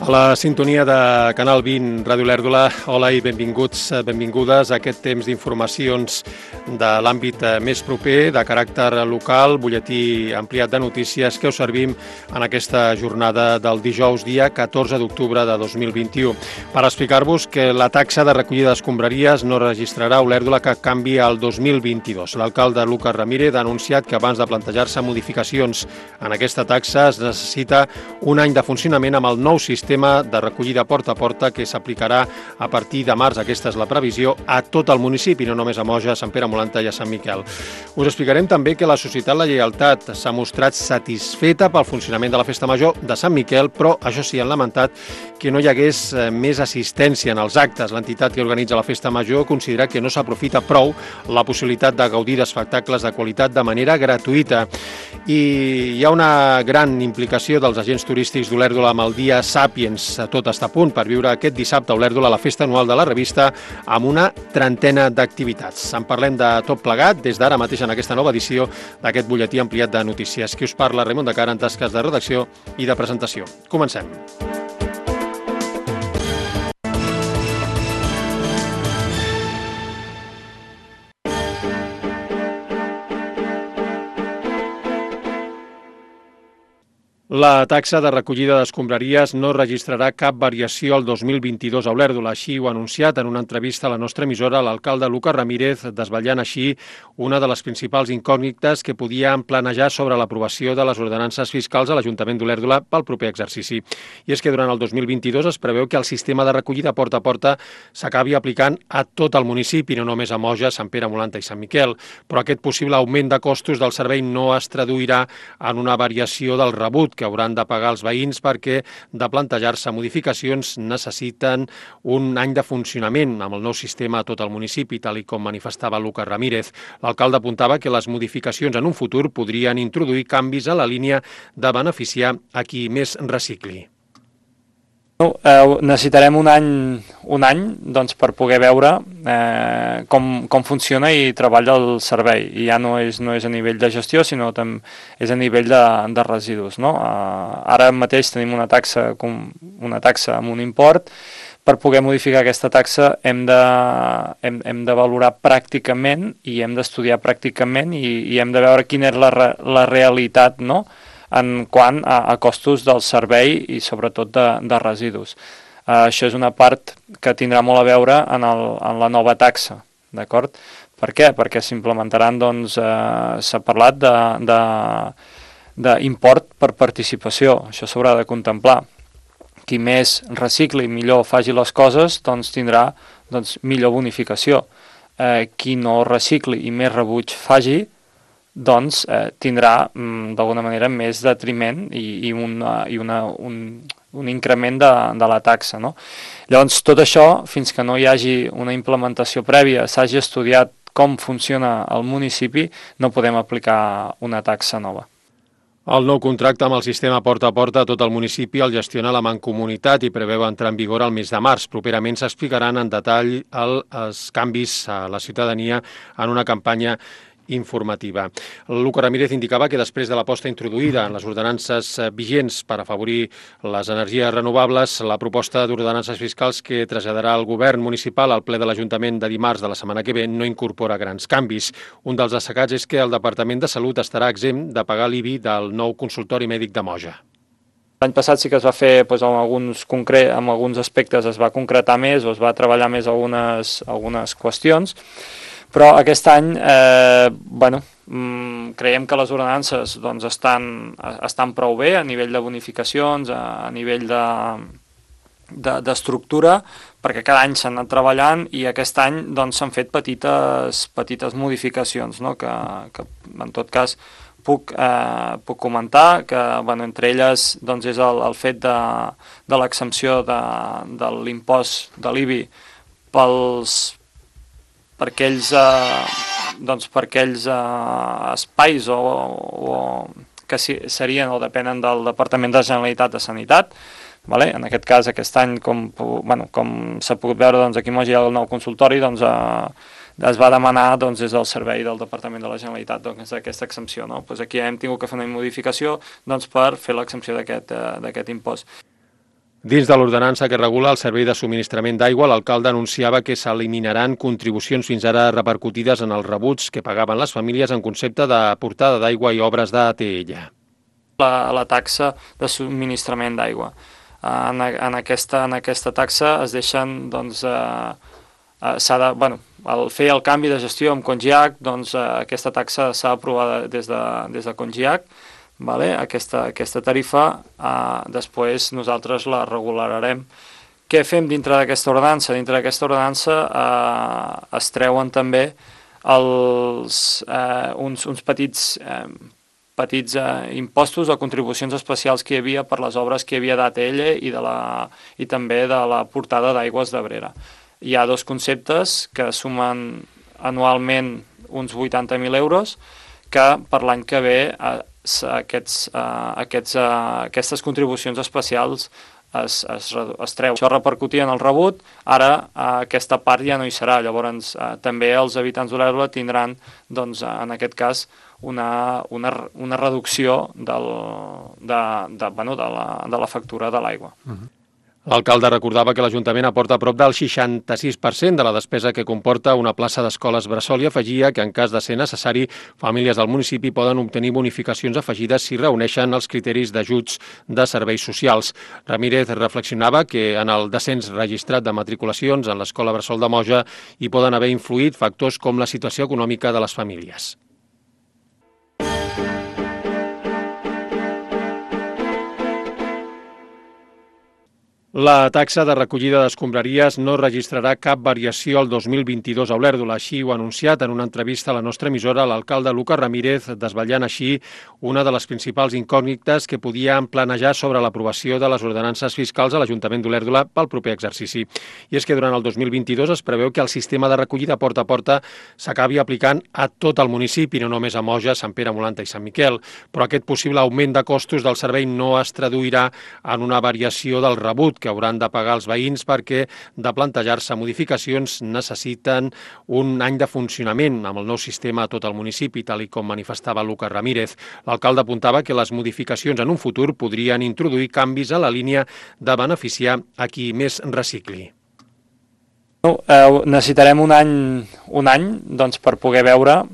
A la sintonia de Canal 20, Ràdio Olèrdola, hola i benvinguts, benvingudes a aquest temps d'informacions de l'àmbit més proper, de caràcter local, butlletí ampliat de notícies que us servim en aquesta jornada del dijous, dia 14 d'octubre de 2021. Per explicar-vos que la taxa de recollida d'escombraries no registrarà a Olèrdola cap canvi al 2022. L'alcalde Lucas Ramírez ha anunciat que abans de plantejar-se modificacions en aquesta taxa es necessita un any de funcionament amb el nou sistema de recollida porta a porta que s'aplicarà a partir de març, aquesta és la previsió, a tot el municipi, no només a Moja, Sant Pere Molanta i a Sant Miquel. Us explicarem també que la Societat La Lleialtat s'ha mostrat satisfeta pel funcionament de la Festa Major de Sant Miquel, però això sí, han lamentat que no hi hagués més assistència en els actes. L'entitat que organitza la Festa Major considera que no s'aprofita prou la possibilitat de gaudir d'espectacles de qualitat de manera gratuïta. I hi ha una gran implicació dels agents turístics d'Olèrdola amb el dia Sàpiens. Tot està a punt per viure aquest dissabte a Olèrdola la festa anual de la revista amb una trentena d'activitats. En parlem de tot plegat des d'ara mateix en aquesta nova edició d'aquest butlletí ampliat de notícies. Qui us parla, Raimon de Cara, en tasques de redacció i de presentació. Comencem. La taxa de recollida d'escombraries no registrarà cap variació al 2022 a Olèrdola. Així ho ha anunciat en una entrevista a la nostra emissora l'alcalde Lucas Ramírez, desvetllant així una de les principals incògnites que podien planejar sobre l'aprovació de les ordenances fiscals a l'Ajuntament d'Olèrdola pel proper exercici. I és que durant el 2022 es preveu que el sistema de recollida porta a porta s'acabi aplicant a tot el municipi, no només a Moja, Sant Pere Molanta i Sant Miquel. Però aquest possible augment de costos del servei no es traduirà en una variació del rebut que hauran de pagar els veïns perquè de plantejar-se modificacions necessiten un any de funcionament amb el nou sistema a tot el municipi, tal com manifestava Lucas Ramírez. L'alcalde apuntava que les modificacions en un futur podrien introduir canvis a la línia de beneficiar a qui més recicli. Necessitarem un any doncs, per poder veure com funciona i treballa el servei. I ja no és a nivell de gestió, sinó també és a nivell de residus. No? Ara mateix tenim una taxa amb un import. Per poder modificar aquesta taxa hem de valorar pràcticament i hem d'estudiar pràcticament i hem de veure quina és la realitat, no?, en quant a costos del servei i sobretot de residus. Això és una part que tindrà molt a veure en la nova taxa, d'acord? Per què? Perquè s'implementaran, doncs, s'ha parlat d'import per participació, això s'haurà de contemplar. Qui més recicli i millor faci les coses, doncs tindrà millor bonificació. Qui no recicli i més rebuig faci, doncs tindrà d'alguna manera més detriment i un increment de la taxa. No? Llavors, tot això, fins que no hi hagi una implementació prèvia, s'hagi estudiat com funciona el municipi, no podem aplicar una taxa nova. El nou contracte amb el sistema porta a porta a tot el municipi el gestiona la Mancomunitat i preveu entrar en vigor el mes de març. Properament s'explicaran en detall els canvis a la ciutadania en una campanya informativa. Lucas Ramírez indicava que després de l'aposta introduïda en les ordenances vigents per afavorir les energies renovables, la proposta d'ordenances fiscals que traslladarà el govern municipal al ple de l'Ajuntament de dimarts de la setmana que ve no incorpora grans canvis. Un dels destacats és que el Departament de Salut estarà exempt de pagar l'IBI del nou consultori mèdic de Moja. L'any passat sí que es va fer, amb alguns aspectes es va concretar més o es va treballar més algunes qüestions, però aquest any creiem que les ordenances doncs, estan prou bé a nivell de bonificacions, a nivell d'estructura, perquè cada any s'han anat treballant i aquest any doncs, s'han fet petites modificacions, no? que en tot cas puc comentar que entre elles doncs, és el fet de l'exempció de l'impost de l'IBI per aquells espais que serien o depenen del Departament de Generalitat de Sanitat. En aquest cas, aquest any, com s'ha pogut veure, aquí a Moja hi ha el nou consultori, es va demanar des del servei del Departament de la Generalitat aquesta exempció. Aquí hem tingut que fer una modificació per fer l'exempció d'aquest impost. Dins de l'ordenança que regula el servei de subministrament d'aigua, l'alcalde anunciava que s'eliminaran contribucions fins ara repercutides en els rebuts que pagaven les famílies en concepte de portada d'aigua i obres d'ATL. La taxa de subministrament d'aigua. En aquesta taxa es deixen, doncs, al fer el canvi de gestió amb Congiac, doncs, aquesta taxa s'ha aprovat des de Congiac. Vale? Aquesta tarifa, després nosaltres la regularem. Què fem dintre d'aquesta ordenança? Dintre d'aquesta ordenança es treuen també uns petits impostos o contribucions especials que hi havia per les obres que hi havia d'ATL i també de la portada d'aigües d'Abrera. Hi ha dos conceptes que sumen anualment uns 80.000 euros que per l'any que ve aquestes contribucions especials es treu. Això repercutia en el rebut, ara aquesta part ja no hi serà, llavors també els habitants d'Olèrdola tindran, doncs, en aquest cas, una reducció de la factura de l'aigua. L'alcalde recordava que l'Ajuntament aporta prop del 66% de la despesa que comporta una plaça d'escoles bressol i afegia que, en cas de ser necessari, famílies del municipi poden obtenir bonificacions afegides si reuneixen els criteris d'ajuts de serveis socials. Ramírez reflexionava que en el descens registrat de matriculacions en l'escola bressol de Moja hi poden haver influït factors com la situació econòmica de les famílies. La taxa de recollida d'escombraries no registrarà cap variació el 2022 a Olèrdola. Així ho ha anunciat en una entrevista a la nostra emissora l'alcalde Lucas Ramírez, desvetllant així una de les principals incògnites que podien planejar sobre l'aprovació de les ordenances fiscals a l'Ajuntament d'Olèrdola pel proper exercici. I és que durant el 2022 es preveu que el sistema de recollida porta a porta s'acabi aplicant a tot el municipi, no només a Moja, Sant Pere, Molanta i Sant Miquel. Però aquest possible augment de costos del servei no es traduirà en una variació del rebut que hauran de pagar els veïns perquè, de plantejar-se modificacions, necessiten un any de funcionament amb el nou sistema a tot el municipi, tal i com manifestava Lucas Ramírez. L'alcalde apuntava que les modificacions en un futur podrien introduir canvis a la línia de beneficiar a qui més recicli. Necessitarem un any doncs, per poder veure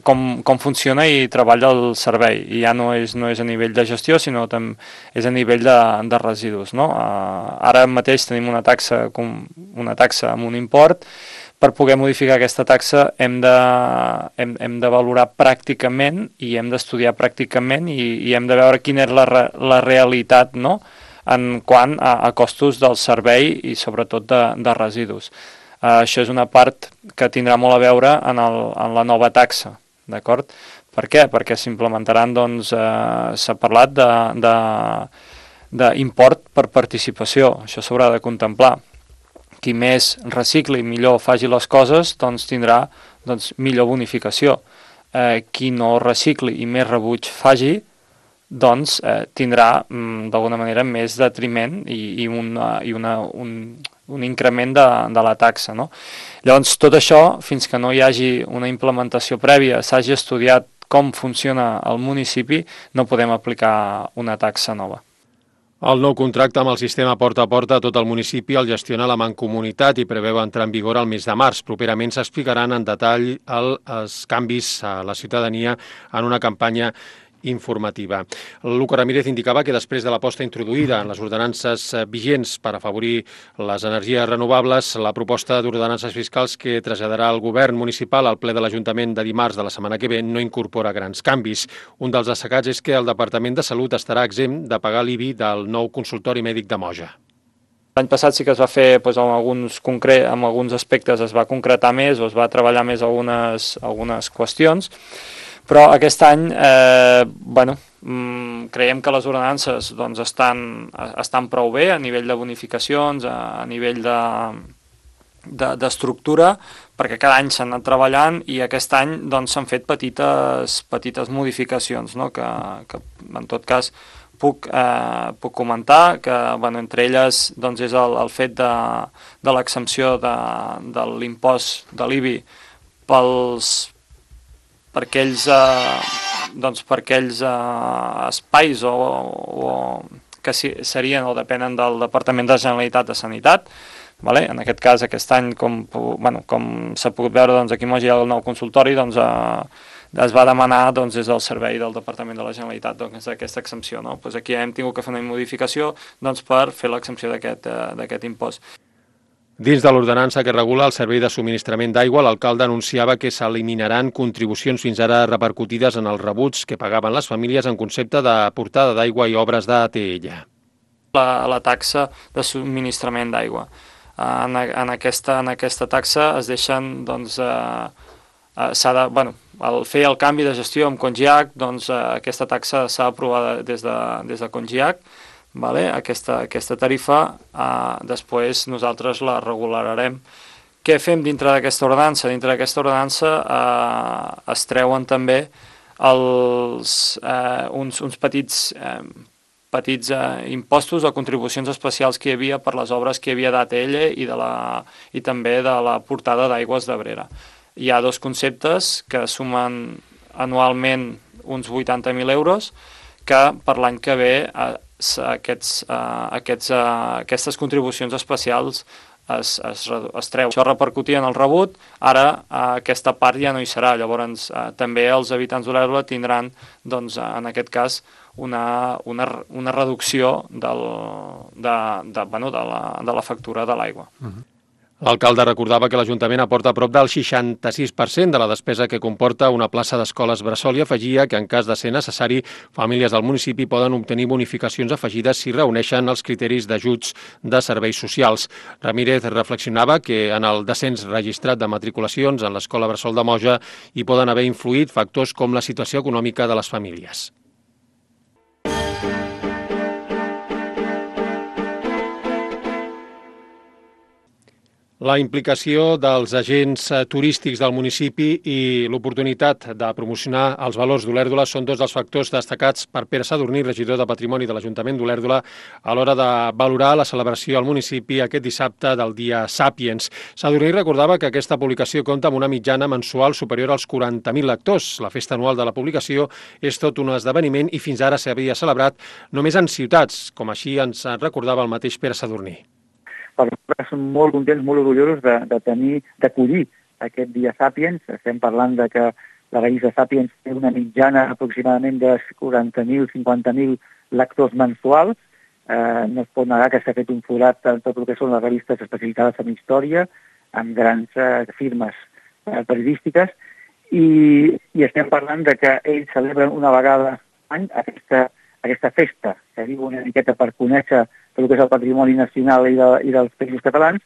com funciona i treballa el servei. I ja no és a nivell de gestió, sinó també és a nivell de residus. No? Ara mateix tenim una taxa amb un import. Per poder modificar aquesta taxa hem de valorar pràcticament i hem d'estudiar pràcticament i hem de veure quina és la realitat, no?, en quant a costos del servei i sobretot de residus. Això és una part que tindrà molt a veure en la nova taxa, d'acord? Per què? Perquè s'implementaran, doncs, s'ha parlat d'import per participació, això s'haurà de contemplar. Qui més recicli i millor faci les coses, doncs tindrà millor bonificació. Qui no recicli i més rebuig faci, doncs tindrà d'alguna manera més detriment i un increment de la taxa. No? Llavors, tot això, fins que no hi hagi una implementació prèvia, s'hagi estudiat com funciona el municipi, no podem aplicar una taxa nova. El nou contracte amb el sistema porta a porta a tot el municipi el gestiona la Mancomunitat i preveu entrar en vigor el mes de març. Properament s'explicaran en detall els canvis a la ciutadania en una campanya informativa. Lucas Ramírez indicava que després de l'aposta introduïda en les ordenances vigents per afavorir les energies renovables, la proposta d'ordenances fiscals que traslladarà el govern municipal al ple de l'Ajuntament de dimarts de la setmana que ve no incorpora grans canvis. Un dels destacats és que el Departament de Salut estarà exempt de pagar l'IBI del nou consultori mèdic de Moja. L'any passat sí que es va fer, amb alguns aspectes es va concretar més o es va treballar més algunes qüestions, però aquest any creiem que les ordenances estan prou bé a nivell de bonificacions, a nivell d'estructura, perquè cada any s'han anat treballant i aquest any s'han fet petites modificacions, no? que en tot cas puc comentar que entre elles és el fet de l'exempció de l'impost de l'IBI per aquells espais que serien o depenen del Departament de la Generalitat de Sanitat. Vale? En aquest cas, aquest any, com s'ha pogut veure, doncs, aquí a Moja hi ha el nou consultori, doncs, es va demanar des del servei del Departament de la Generalitat aquesta exempció. No? Pues aquí hem tingut que fer una modificació per fer l'exempció d'aquest impost. Dins de l'ordenança que regula el servei de subministrament d'aigua, l'alcalde anunciava que s'eliminaran contribucions fins ara repercutides en els rebuts que pagaven les famílies en concepte de portada d'aigua i obres d'ATL. La taxa de subministrament d'aigua. En aquesta taxa es deixen, doncs, al fer el canvi de gestió amb Congiac, doncs aquesta taxa s'ha aprovat des de Congiac, vale? Aquesta tarifa, després nosaltres la regularem. Què fem dintre d'aquesta ordenança? Dintre d'aquesta ordenança es treuen també uns petits impostos o contribucions especials que hi havia per les obres que hi havia d'ATL i també de la portada d'aigües d'Abrera. Hi ha dos conceptes que sumen anualment uns 80.000 euros que per l'any que ve aquestes contribucions especials es treu. Això repercutia en el rebut, ara aquesta part ja no hi serà, llavors també els habitants d'Olèrdola tindran, doncs, en aquest cas, una reducció de la factura de l'aigua. L'alcalde recordava que l'Ajuntament aporta prop del 66% de la despesa que comporta una plaça d'escoles bressol i afegia que en cas de ser necessari, famílies del municipi poden obtenir bonificacions afegides si reuneixen els criteris d'ajuts de serveis socials. Ramírez reflexionava que en el descens registrat de matriculacions en l'escola bressol de Moja hi poden haver influït factors com la situació econòmica de les famílies. La implicació dels agents turístics del municipi i l'oportunitat de promocionar els valors d'Olèrdola són dos dels factors destacats per Pere Sadurní, regidor de Patrimoni de l'Ajuntament d'Olèrdola, a l'hora de valorar la celebració al municipi aquest dissabte del Dia Sàpiens. Sadurní recordava que aquesta publicació compta amb una mitjana mensual superior als 40.000 lectors. La festa anual de la publicació és tot un esdeveniment i fins ara s'havia celebrat només en ciutats, com així ens recordava el mateix Pere Sadurní. Per nosaltres som molt contents, molt orgullosos d'acollir aquest Dia Sàpiens. Estem parlant de que la revista Sàpiens té una mitjana aproximadament de 40.000, 50.000 lectors mensuals. No es pot negar que s'ha fet un forat en tot el que són les revistes especialitzades en història, amb grans firmes periodístiques, i estem parlant de que ells celebren una vegada l'any aquesta festa, que diu una miqueta per conèixer tot el que és el patrimoni nacional i dels països catalans,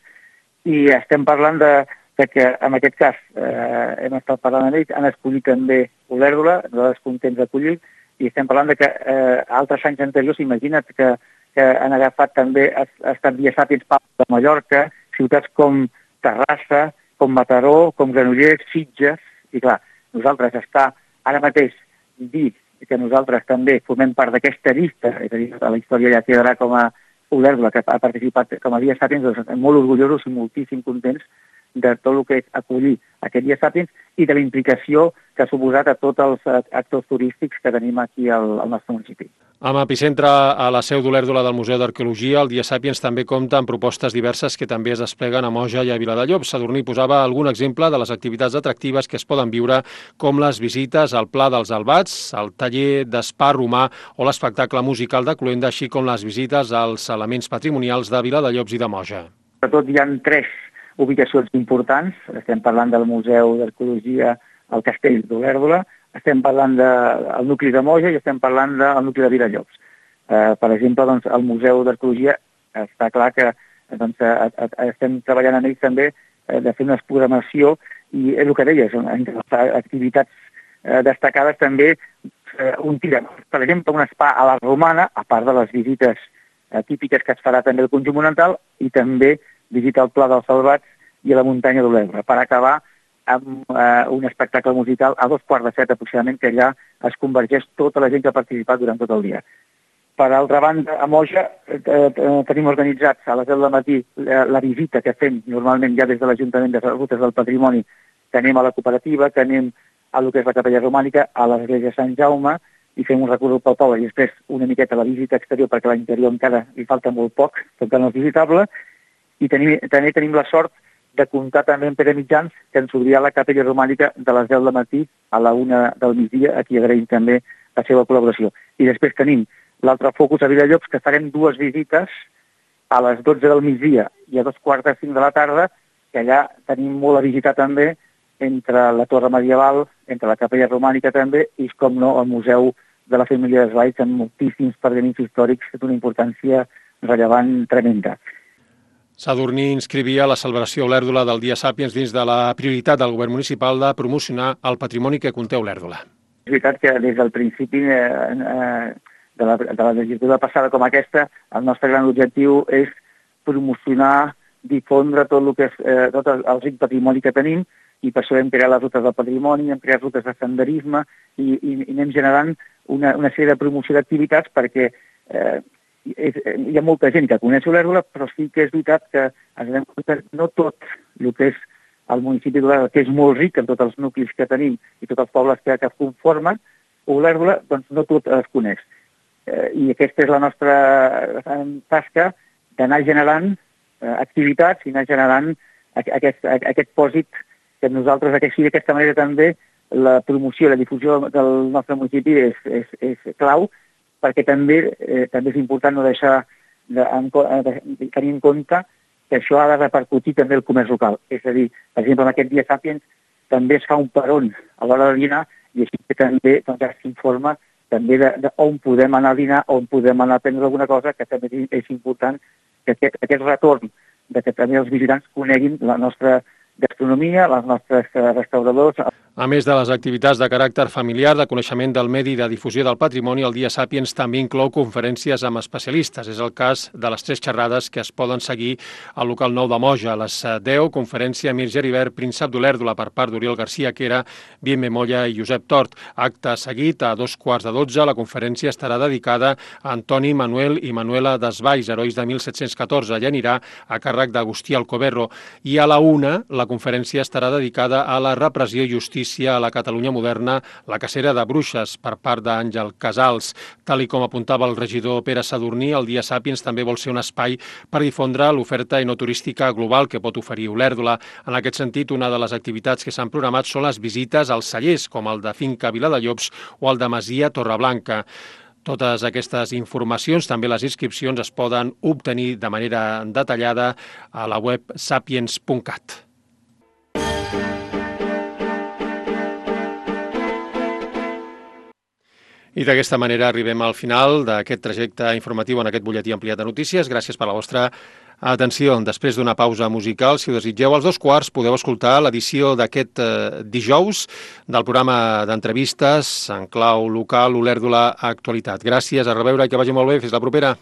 i estem parlant de que, en aquest cas, hem estat parlant amb ells, han escollit també Olèrdola, nosaltres contents d'acollir, i estem parlant de que altres anys anteriors, imagina't que han agafat també, ha estat Dia Sàpiens Palma de Mallorca, ciutats com Terrassa, com Mataró, com Granollers, Sitges, i clar, nosaltres està ara mateix dir que nosaltres també formem part d'aquesta llista, és a dir, la història ja quedarà com a Olèrdola, que ha participat com a Dia Sàpiens, doncs estem molt orgullosos i moltíssim contents de tot el que és acollir aquest Dia Sàpiens i de la implicació que ha suposat a tots els actors turístics que tenim aquí al nostre municipi. Amb epicentre a la seu d'Olèrdola del Museu d'Arqueologia, el Dia Sàpiens també compta amb propostes diverses que també es despleguen a Moja i a Viladellobs. Sadurní posava algun exemple de les activitats atractives que es poden viure, com les visites al Pla dels Albats, el taller d'espà romà o l'espectacle musical de Cluenda, així com les visites als elements patrimonials de Viladellobs i de Moja. Sobretot hi ha 3 ubicacions importants. Estem parlant del Museu d'Arqueologia al Castell d'Olèrdola, estem parlant del nucli de Moja i estem parlant del nucli de Viladellobs. Per exemple, doncs, el Museu d'Arqueologia està clar que estem treballant en ells també de fer una programació i és el que deies, entre les activitats destacades també un tir, per exemple, un spa a la Romana, a part de les visites típiques que es farà també al conjunt monumental i també visita al Pla dels Albats i a la muntanya d'Olèrdola, per acabar amb un espectacle musical a 6:45 aproximadament, que allà es convergeix tota la gent que ha participat durant tot el dia. Per altra banda, a Moja tenim organitzats a les 10 del matí la visita que fem normalment ja des de l'Ajuntament de les Rutes del Patrimoni, que anem a la cooperativa, que anem a lo que és la Capella Romànica, a l'església de Sant Jaume, i fem un recorregut pel poble i després una miqueta la visita exterior, perquè a l'interior encara li falta molt poc, encara no és visitable, i també tenim la sort de comptar també amb Pere Mitjans, que ens obrirà la capella romànica de les 10 del matí a la 1 del migdia, a qui agraïm també la seva col·laboració. I després tenim l'altre focus a Vilallobs, que farem 2 visites a les 12 del migdia i a 2:45 de la tarda, que allà tenim molt a visitar també, entre la torre medieval, entre la capella romànica també, i com no, el Museu de la Família d'Esvalls, amb moltíssims pergamins històrics d'una importància rellevant tremenda. Sadurní inscrivia la celebració Olèrdola del Dia Sàpiens dins de la prioritat del govern municipal de promocionar el patrimoni que conté Olèrdola. És veritat que des del principi de la legislatura passada com aquesta, el nostre gran objectiu és promocionar, difondre tot el que és tot el ric patrimoni que tenim, i per això hem creat les rutes del patrimoni, hem creat rutes de senderisme i anem generant una sèrie de promoció d'activitats perquè hi ha molta gent que coneix Olèrdola, però sí que és veritat que ens anem compte que no tot el que és el municipi d'Olèrdola, que és molt ric en tots els nuclis que tenim i tots els pobles que conformen, Olèrdola, doncs no tot es coneix. I aquesta és la nostra tasca d'anar generant activitats i anar generant aquest pòsit que nosaltres, d'aquesta manera també, la promoció i la difusió del nostre municipi és clau, perquè també és important no deixar de tenir en compte que això ha de repercutir també el comerç local. És a dir, per exemple, en aquest Dia Sàpiens també es fa un peron a l'hora de dinar i així que també s'informa també d'on podem anar a dinar, on podem anar a prendre alguna cosa, que també és important que aquest retorn que també els visitants coneguin la nostra gastronomia, les nostres restauradors. A més de les activitats de caràcter familiar, de coneixement del medi i de difusió del patrimoni, el Dia Sàpiens també inclou conferències amb especialistes. És el cas de les 3 xerrades que es poden seguir al local 9 de Moja. A les 10, conferència Mir Geribert, príncep d'Olèrdola, per part d'Oriol García Quera, Bien Molla i Josep Tort. Acte seguit, a 2:15, la conferència estarà dedicada a Antoni, Manuel i Manuela Desvalls, herois de 1714. Allà anirà a càrrec d'Agustí Alcoberro. I a la 1, la conferència estarà dedicada a la repressió i justícia a la Catalunya moderna, la cacera de bruixes, per part d'Àngel Casals. Tal i com apuntava el regidor Pere Sadurní, el Dia Sàpiens també vol ser un espai per difondre l'oferta enoturística global que pot oferir Olèrdola. En aquest sentit, una de les activitats que s'han programat són les visites als cellers, com el de Finca Viladellobs o el de Masia Torreblanca. Totes aquestes informacions, també les inscripcions, es poden obtenir de manera detallada a la web sapiens.cat. I d'aquesta manera arribem al final d'aquest trajecte informatiu en aquest butlletí ampliat de notícies. Gràcies per la vostra atenció. Després d'una pausa musical, si ho desitgeu, als 2:15 podeu escoltar l'edició d'aquest dijous del programa d'entrevistes en clau local Olèrdola Actualitat. Gràcies, a reveure i que vagi molt bé. Fins la propera.